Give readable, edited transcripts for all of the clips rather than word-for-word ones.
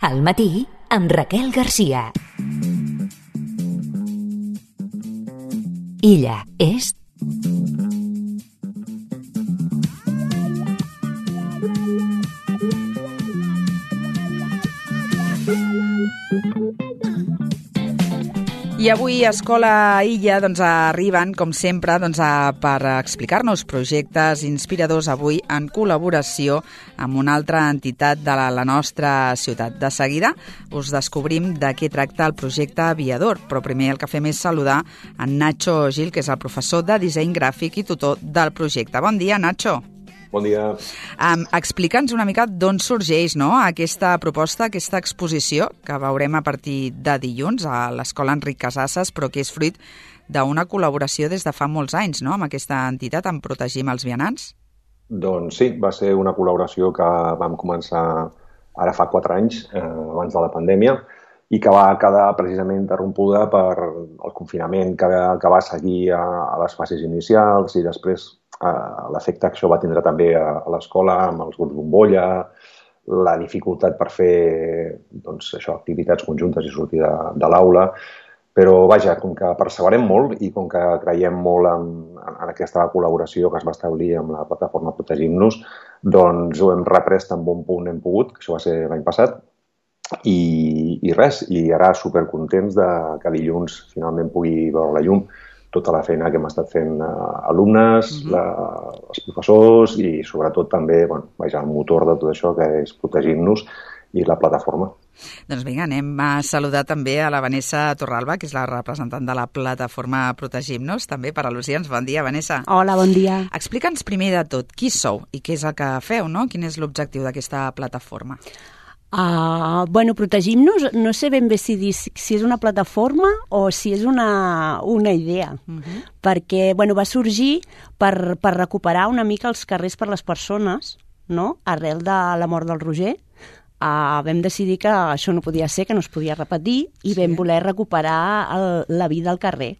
Al matí, amb Raquel Garcia. Illa és... I avui a Escola Illa arriben, com sempre, per explicar-nos projectes inspiradors avui en col·laboració amb una altra entitat de la nostra ciutat. De seguida us descobrim de què tracta el projecte Aviador, però primer el que fem és saludar en Nacho Gil, que és el professor de disseny gràfic i tutor del projecte. Bon dia, Nacho. Bon dia. Explica'ns una mica d'on sorgeix aquesta proposta, aquesta exposició, que veurem a partir de dilluns a l'Escola Enric Casasses, però que és fruit d'una col·laboració des de fa molts anys, amb aquesta entitat, en Protegim els Vianants. Doncs sí, va ser una col·laboració que vam començar ara fa 4 anys, abans de la pandèmia, i que va quedar precisament interrompuda per el confinament que va seguir a les fases inicials i després l'efecte que això va tindre també a l'escola amb els grups bombolla, la dificultat per fer activitats conjuntes i sortir de l'aula. Però vaja, com que perseverem molt i com que creiem molt en aquesta col·laboració que es va establir amb la plataforma Protegim-nos, doncs ho hem reprès tan bon punt hem pogut, que això va ser l'any passat, i res, i ara supercontents que dilluns finalment pugui veure la llum tota la feina que hem estat fent alumnes, els professors i sobretot també el motor de tot això que és Protegim-nos i la plataforma. Doncs vinga, anem a saludar també a la Vanessa Torralba, que és la representant de la plataforma Protegim-nos, també per al·lusions. Bon dia, Vanessa. Hola, bon dia. Explica'ns primer de tot qui sou i què és el que feu, Quin és l'objectiu d'aquesta plataforma? Protegim-nos, no sé ben bé si és una plataforma o si és una idea, perquè va sorgir per recuperar una mica els carrers per les persones, arrel de la mort del Roger. Vam decidir que això no podia ser, que no es podia repetir, i vam voler recuperar la vida al carrer.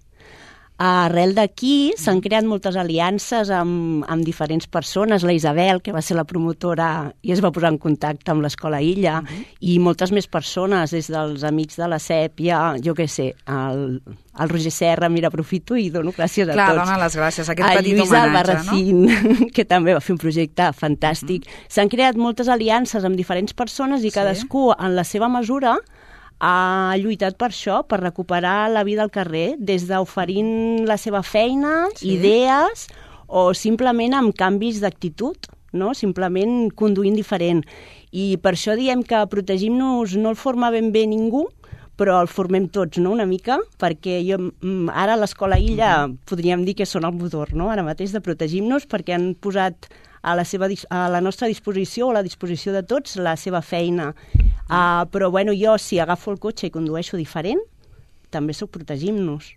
Arrel d'aquí s'han creat moltes aliances amb diferents persones. La Isabel, que va ser la promotora i es va posar en contacte amb l'Escola Illa, i moltes més persones, des dels amics de la Sèpia, jo què sé, el Roger Serra, mira, aprofito i dono gràcies a tots. Clar, dona les gràcies, aquest petit Lluís homenatge, Albarracín, que també va fer un projecte fantàstic. S'han creat moltes aliances amb diferents persones i cadascú, en la seva mesura, ha lluitat per això, per recuperar la vida al carrer, des d'oferint la seva feina, idees, o simplement amb canvis d'actitud, simplement conduint diferent. I per això diem que Protegim-nos no el forma ben bé ningú, però el formem tots, una mica, perquè ara a l'Escola Illa podríem dir que són el motor, ara mateix de Protegim-nos, perquè han posat a la nostra disposició, o a la disposició de tots, la seva feina. Però jo, si agafo el cotxe i condueixo diferent, també soc Protegim-nos.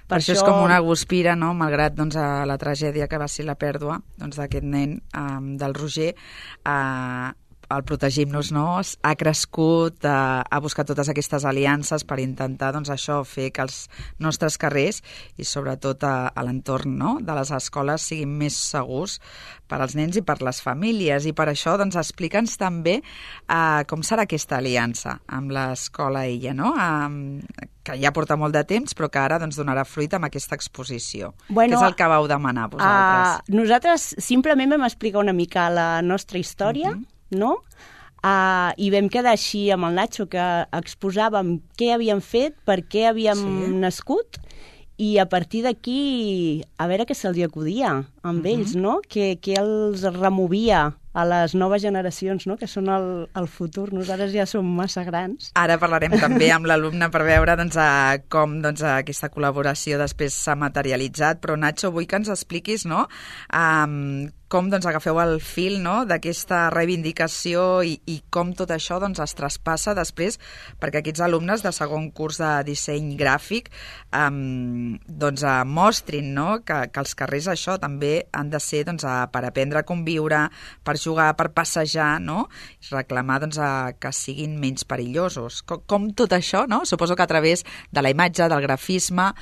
Per això és com una guspira, malgrat la tragèdia que va ser la pèrdua d'aquest nen, del Roger. El Protegim-nos ha crescut, ha buscat totes aquestes aliances per intentar fer que els nostres carrers i sobretot a l'entorn de les escoles siguin més segurs per als nens i per les famílies. I per això explica'ns també com serà aquesta aliança amb l'Escola Illa, que ja porta molt de temps però que ara donarà fruit amb aquesta exposició. Què és el que vau demanar vosaltres? Nosaltres simplement vam explicar una mica la nostra història, i vam quedar així amb el Nacho, que exposàvem què havíem fet, per què havíem nascut, i a partir d'aquí a veure què se'ls acudia amb ells, què els removia a les noves generacions, que són el futur. Nosaltres ja som massa grans. Ara parlarem també amb l'alumne per veure com aquesta col·laboració després s'ha materialitzat, però Nacho, vull que ens expliquis com agafeu el fil d'aquesta reivindicació i com tot això es traspassa després perquè aquests alumnes de segon curs de disseny gràfic mostrin que els carrers això també han de ser per aprendre a conviure, per jugar, per passejar, i reclamar que siguin menys perillosos. Com tot això, suposo que a través de la imatge, del grafisme,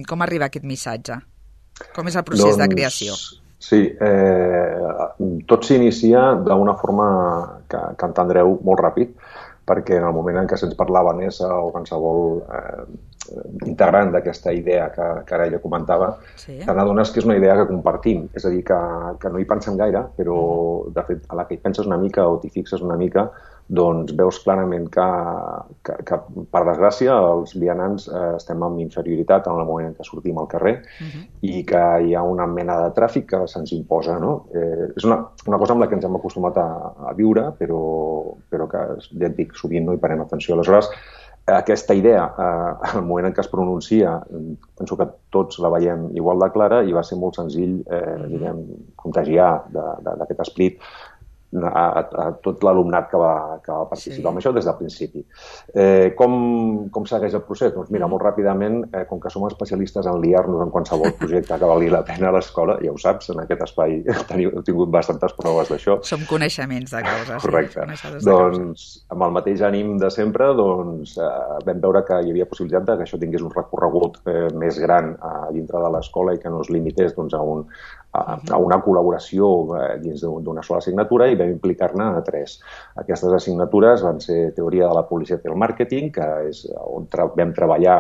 com arriba aquest missatge? Com és el procés de creació? Sí, tot s'inicia d'una forma que entendreu molt ràpid. perquè en el moment en què se'ns parlava Nessa o qualsevol integrant d'aquesta idea que ara ella comentava, te n'adones que és una idea que compartim, és a dir, que no hi pensem gaire, però de fet a la que hi penses una mica o t'hi fixes una mica, doncs veus clarament que per desgràcia els vianants estem en inferioritat en el moment en què sortim al carrer i que hi ha una mena de tràfic que se'ns imposa, no? És una cosa amb la que ens hem acostumat a viure, però que, ja et dic, sovint no hi parem atenció. Aleshores, aquesta idea, al moment en què es pronuncia, penso que tots la veiem igual de clara i va ser molt senzill contagiar d'aquest esperit a tot l'alumnat que va participar en això des del principi. Com segueix el procés? Doncs mira, molt ràpidament, com que som especialistes en liar-nos en qualsevol projecte que valgui la pena a l'escola, ja ho saps, en aquest espai heu tingut bastantes proves d'això. Som coneixements de causa. Correcte. Doncs, amb el mateix ànim de sempre, doncs, vam veure que hi havia possibilitat que això tingués un recorregut més gran dintre de l'escola i que no es limités doncs, a una col·laboració dins d'una sola assignatura i vam implicar-ne a 3. Aquestes assignatures van ser Teoria de la Publicitat i el Màrqueting, que és on vam treballar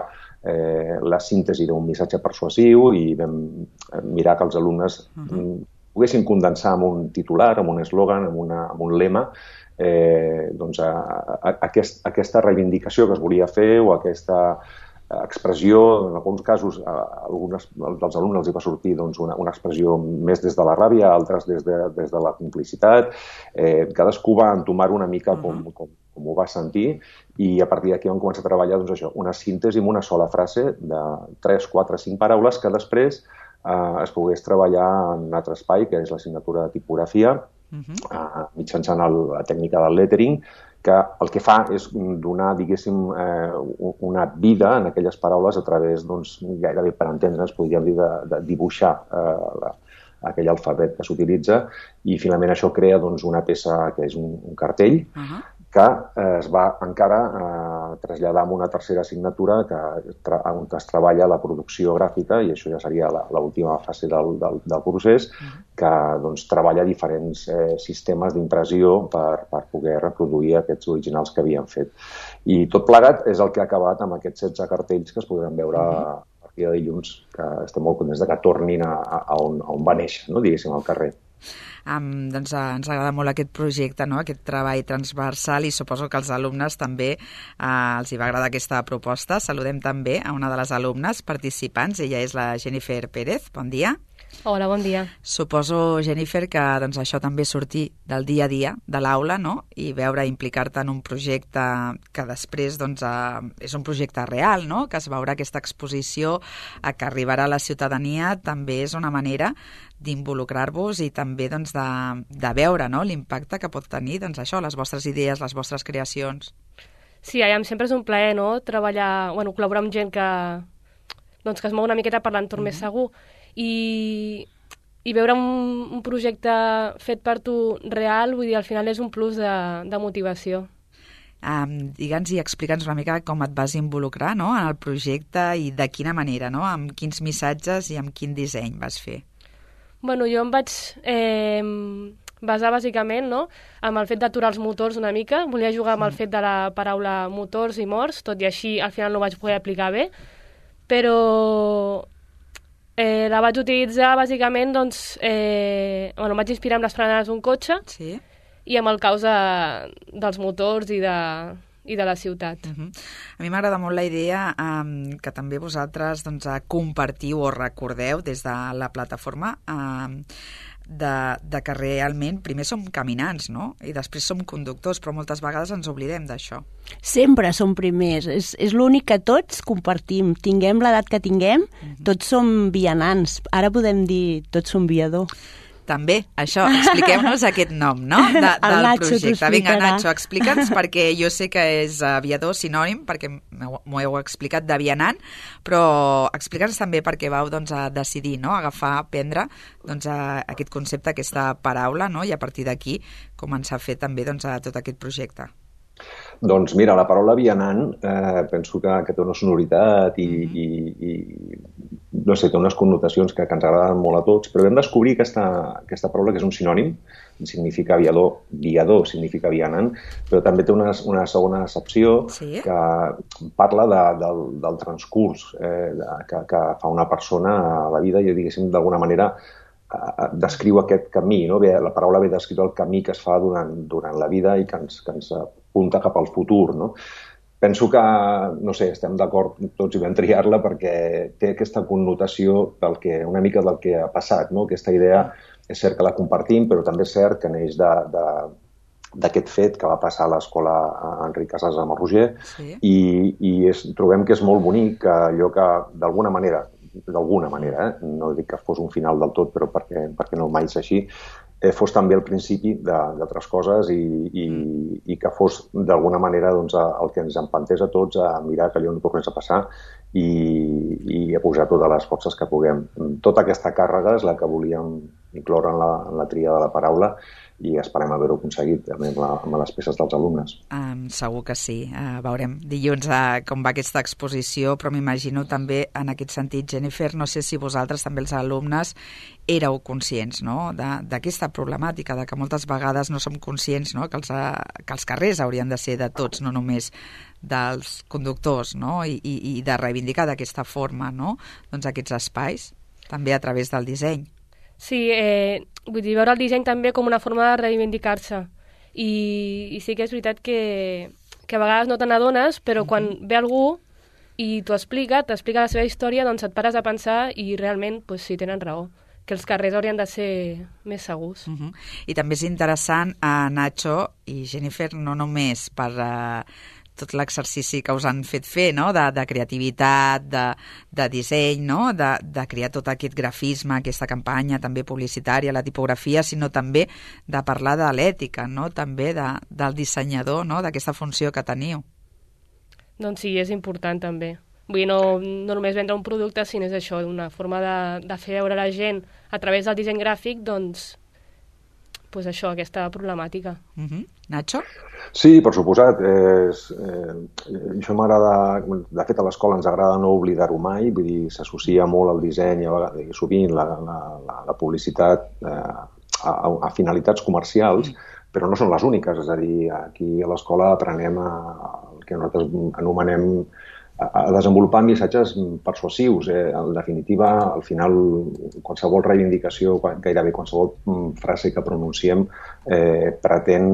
la síntesi d'un missatge persuasiu i vam mirar que els alumnes poguessin condensar amb un titular, amb un eslògan, amb un lema, doncs, aquesta reivindicació que es volia fer o aquesta expressió, en alguns casos alguns dels alumnes els hi va sortir doncs, una expressió més des de la ràbia, altres des de la complicitat. Cadascú va entomar-ho una mica com ho va sentir i a partir d'aquí vam començar a treballar doncs, això, una síntesi amb una sola frase de 3, 4, 5 paraules que després es pogués treballar en un altre espai, que és l'assignatura de tipografia, mitjançant la tècnica del lettering, que el que fa és donar, diguéssim, una vida en aquelles paraules a través, doncs, gairebé per entendre'ns, podríem dir, de dibuixar aquell alfabet que s'utilitza i finalment això crea doncs, una peça que és un cartell que es va encara traslladar a una tercera assignatura on es treballa la producció gràfica i això ja seria l'última fase del procés que doncs, treballa diferents sistemes d'impressió per poder reproduir aquests originals que havien fet. I tot plegat és el que ha acabat amb aquests 16 cartells que es podran veure a partir de dilluns, que estem molt contents que tornin a on va néixer, no? Diguéssim, al carrer. Doncs ens agrada molt aquest projecte, no? Aquest treball transversal i suposo que als alumnes també els hi va agradar aquesta proposta. Saludem també a una de les alumnes participants, ella és la Jennifer Pérez. Bon dia. Hola, bon dia. Suposo, Jennifer, que doncs, això també sortir del dia a dia de l'aula, no? I veure, implicar-te en un projecte que després doncs, és un projecte real, no? Que es veurà aquesta exposició que arribarà a la ciutadania també és una manera d'involucrar-vos i també doncs, de veure, no? L'impacte que pot tenir doncs, això, les vostres idees, les vostres creacions. Sí, sempre és un plaer, no? Treballar, col·laborar amb gent que es mou una miqueta per l'entorn més segur i veure un projecte fet per tu real, vull dir, al final és un plus de motivació. Digue'ns i explica'ns una mica com et vas involucrar, no?, en el projecte i de quina manera, no?, amb quins missatges i amb quin disseny vas fer. Jo em vaig basar bàsicament, no?, amb el fet d'aturar els motors una mica. Volia jugar amb el fet de la paraula motors i morts, tot i així al final no ho vaig poder aplicar bé, però la vaig utilitzar bàsicament, doncs, em vaig inspirar amb les frenades d'un cotxe i amb el caos dels motors i de la ciutat. A mi m'agrada molt la idea que també vosaltres doncs, compartiu o recordeu des de la plataforma de que realment primer som caminants, no? I després som conductors, però moltes vegades ens oblidem d'això. Sempre som primers, és l'únic que tots compartim, tinguem l'edat que tinguem, tots som vianants, ara podem dir tots som viador. També, això, expliqueu-nos aquest nom, no?, del projecte. Vinga, Nacho, explica'ns, perquè jo sé que és aviador sinònim, perquè m'ho heu explicat de vianant, però explica'ns també per què vau doncs, a decidir, no?, aprendre doncs, aquest concepte, aquesta paraula, no?, i a partir d'aquí començar a fer també doncs, tot aquest projecte. Doncs mira, la paraula vianant penso que té una sonoritat i no sé, té unes connotacions que ens agraden molt a tots, però vam descobrir aquesta paraula que és un sinònim, significa viador significa vianant, però també té una segona accepció que parla del transcurs que fa una persona a la vida i, diguéssim, d'alguna manera descriu aquest camí, no? La paraula ve descriure el camí que es fa durant la vida i que ens apunta cap al futur, no? Penso que, no sé, estem d'acord tots i vam triar-la perquè té aquesta connotació una mica del que ha passat, no? Aquesta idea és cert que la compartim, però també és cert que neix d'aquest fet que va passar a l'escola Enric Casas amb el Roger i trobem que és molt bonic que allò que d'alguna manera, no dic que fos un final del tot, però perquè no mai és així, fos també el principi d'altres coses i que fos d'alguna manera el que ens empantés a tots a mirar que allò no tornés a passar i a posar totes les forces que puguem. Tota aquesta càrrega és la que volíem incloure en la tria de la paraula i esperem haver-ho aconseguit amb les peces dels alumnes. Segur que sí. Veurem dilluns com va aquesta exposició, però m'imagino també en aquest sentit, Jennifer, no sé si vosaltres també els alumnes éreu conscients, no?, d'aquesta problemàtica, de que moltes vegades no som conscients, no?, que els carrers haurien de ser de tots, no només dels conductors, no?, i de reivindicar d'aquesta forma, no?, doncs aquests espais, també a través del disseny. Sí, vull dir, veure el disseny també com una forma de reivindicar-se. I sí que és veritat que a vegades no te n'adones, però quan ve algú i t'explica la seva història, doncs et pares a pensar i realment, doncs sí, tenen raó, que els carrers haurien de ser més segurs. I també és interessant, Nacho i Jennifer, no només per tot l'exercici que us han fet fer, no?, de creativitat, de disseny, no?, de crear tot aquest grafisme, aquesta campanya també publicitària, la tipografia, sinó també de parlar de l'ètica, no?, també del dissenyador, no?, d'aquesta funció que teniu. Doncs sí, és important també. Vull dir, no només vendre un producte, sinó és això, una forma de fer veure a la gent a través del disseny gràfic, doncs això, aquesta problemàtica. Nacho? Sí, per suposat. Això m'agrada... De fet, a l'escola ens agrada no oblidar-ho mai, vull dir, s'associa molt al disseny i sovint la publicitat a finalitats comercials, però no són les úniques. És a dir, aquí a l'escola aprenem el que nosaltres anomenem a desenvolupar missatges persuasius. En definitiva, al final, qualsevol reivindicació, gairebé qualsevol frase que pronunciem pretén,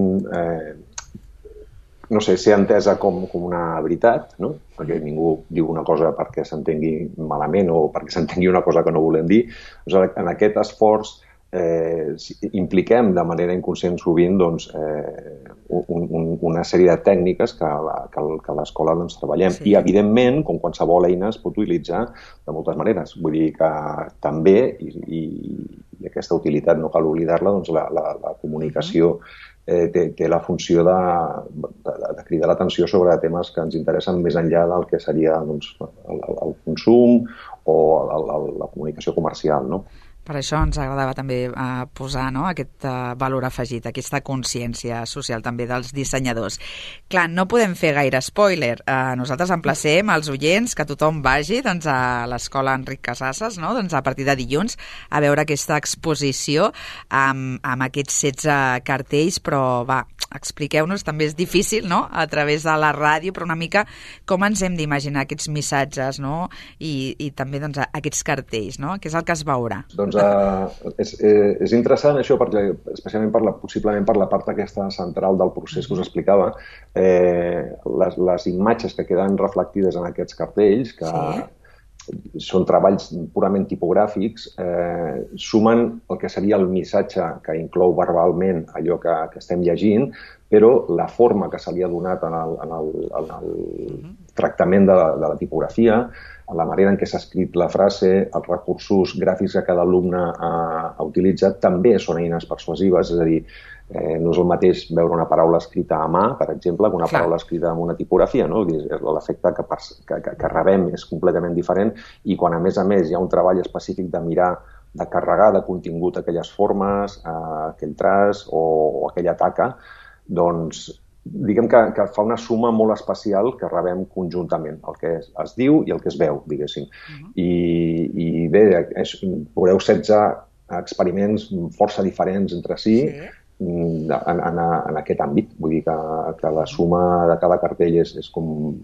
no sé, ser entesa com una veritat, no? Perquè ningú diu una cosa perquè s'entengui malament o perquè s'entengui una cosa que no volem dir. En aquest esforç impliquem de manera inconscient sovint una sèrie de tècniques que a l'escola treballem. I, evidentment, com qualsevol eina, es pot utilitzar de moltes maneres. Vull dir que també, i aquesta utilitat no cal oblidar-la, la comunicació té la funció de cridar l'atenció sobre temes que ens interessen més enllà del que seria el consum o la comunicació comercial, no? Per això ens agradava també posar aquest valor afegit, aquesta consciència social també dels dissenyadors. Clar, no podem fer gaire spoiler. Nosaltres emplacem als oients que tothom vagi a l'escola Enric Casasses, a partir de dilluns, a veure aquesta exposició amb aquests 16 cartells, però va, expliqueu-nos, també és difícil, no?, a través de la ràdio, però una mica com ens hem d'imaginar aquests missatges, no?, i també aquests cartells, no?, què és el que es veurà? Doncs és interessant això, perquè especialment possiblement per la part aquesta central del procés que us explicava, les imatges que queden reflectides en aquests cartells, que són treballs purament tipogràfics, sumen el que seria el missatge que inclou verbalment allò que estem llegint, però la forma que se li ha donat en el tractament de la tipografia, la manera en què s'ha escrit la frase, els recursos gràfics que cada alumne ha utilitzat, també són eines persuasives, és a dir, no és el mateix veure una paraula escrita a mà, per exemple, que una paraula escrita amb una tipografia, no? L'efecte que rebem és completament diferent i quan, a més, hi ha un treball específic de mirar, de carregar de contingut aquelles formes, aquell traç o aquella taca, doncs diguem que fa una suma molt especial que rebem conjuntament, el que es diu i el que es veu, diguéssim. I bé, veureu 16 experiments força diferents entre si en aquest àmbit. Vull dir que la suma de cada cartell és com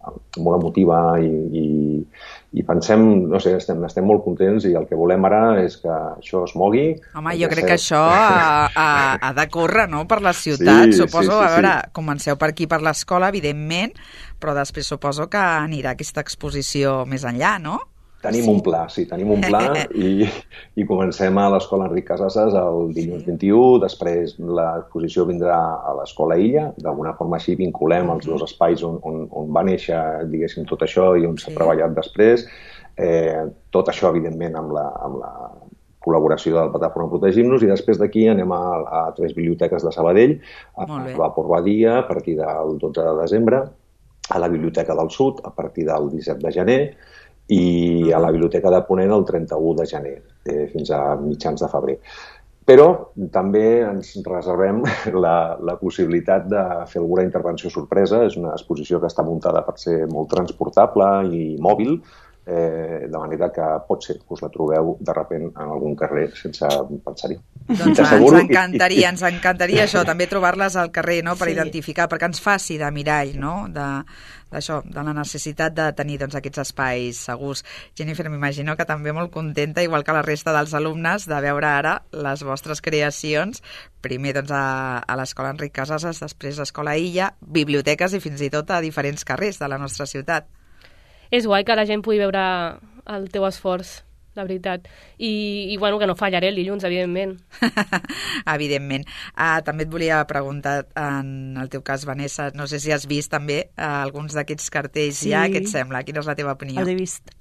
molt emotiva i pensem, no sé, estem molt contents i el que volem ara és que això es mogui. Home, jo crec que això ha de córrer, no?, per la ciutat. Suposo, a veure, comenceu per aquí, per l'escola, evidentment, però després suposo que anirà aquesta exposició més enllà, no? Tenim un pla i comencem a l'Escola Enric Casasses el dilluns 21, després l'exposició vindrà a l'Escola Illa, d'alguna forma així vinculem els dos espais on va néixer, diguéssim, tot això i on s'ha treballat després. Tot això, evidentment, amb la col·laboració de la plataforma Protegim-nos, i després d'aquí anem a 3 biblioteques de Sabadell, a Vapor Badia a partir del 12 de desembre, a la Biblioteca del Sud a partir del 17 de gener, i a la Biblioteca de Ponent el 31 de gener, fins a mitjans de febrer. Però també ens reservem la possibilitat de fer alguna intervenció sorpresa. És una exposició que està muntada per ser molt transportable i mòbil, de manera que pot ser que us la trobeu de sobte en algun carrer sense pensar-hi. Doncs ens encantaria això, també trobar-les al carrer, no?, per identificar, perquè ens faci de mirall, no?, d'això, de la necessitat de tenir aquests espais segurs. Jennifer, m'imagino que també molt contenta, igual que la resta dels alumnes, de veure ara les vostres creacions, primer a l'Escola Enric Casasses, després a l'Escola Illa, biblioteques i fins i tot a diferents carrers de la nostra ciutat. És guai que la gent pugui veure el teu esforç, la veritat. I bueno, que no fallaré el dilluns, evidentment. Evidentment. També et volia preguntar, en el teu cas, Vanessa, no sé si has vist també alguns d'aquests cartells ja, què et sembla? Quina és la teva opinió? Els he vist.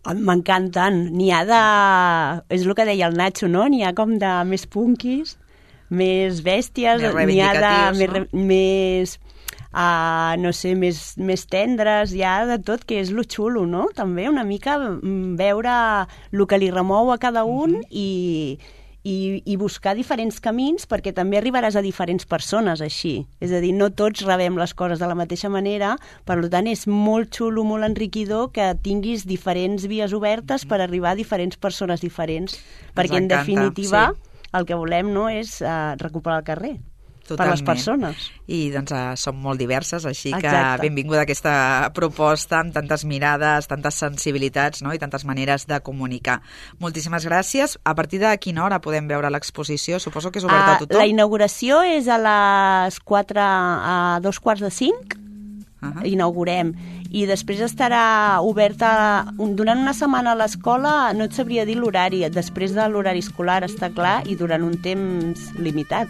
M'encanten. N'hi ha de... És el que deia el Nacho, no? N'hi ha com de més punkis, més bèsties, més reivindicatius, més no sé, més tendres, hi ha de tot, que és lo xulo, no? També una mica veure el que li remou a cada un i buscar diferents camins, perquè també arribaràs a diferents persones així. És a dir, no tots rebem les coses de la mateixa manera, per tant és molt xulo, molt enriquidor que tinguis diferents vies obertes per arribar a diferents persones diferents, perquè en definitiva el que volem, no, és recuperar el carrer. Totalment. Per les persones. I som molt diverses, així que benvinguda aquesta proposta amb tantes mirades, tantes sensibilitats, no?, i tantes maneres de comunicar. Moltíssimes gràcies. A partir de quina hora podem veure l'exposició? Suposo que és oberta a tothom. La inauguració és a les 4, a 2:45, inaugurem. I després estarà oberta durant una setmana a l'escola, no et sabria dir l'horari, després de l'horari escolar, està clar, i durant un temps limitat.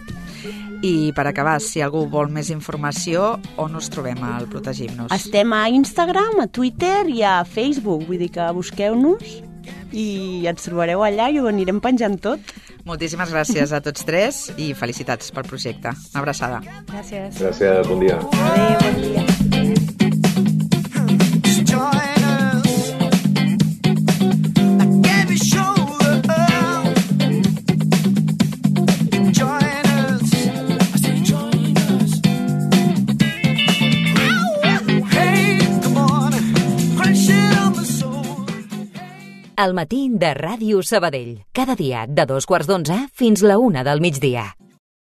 I per acabar, si algú vol més informació, on us trobem al Protegim-nos? Estem a Instagram, a Twitter i a Facebook, vull dir que busqueu-nos i ens trobareu allà i ho anirem penjant tot. Moltíssimes gràcies a tots tres i felicitats pel projecte. Una abraçada. Gràcies. Gràcies, bon dia. Adéu, bon dia. El matí de Ràdio Sabadell. Cada dia de 2:15 fins la 1 del migdia.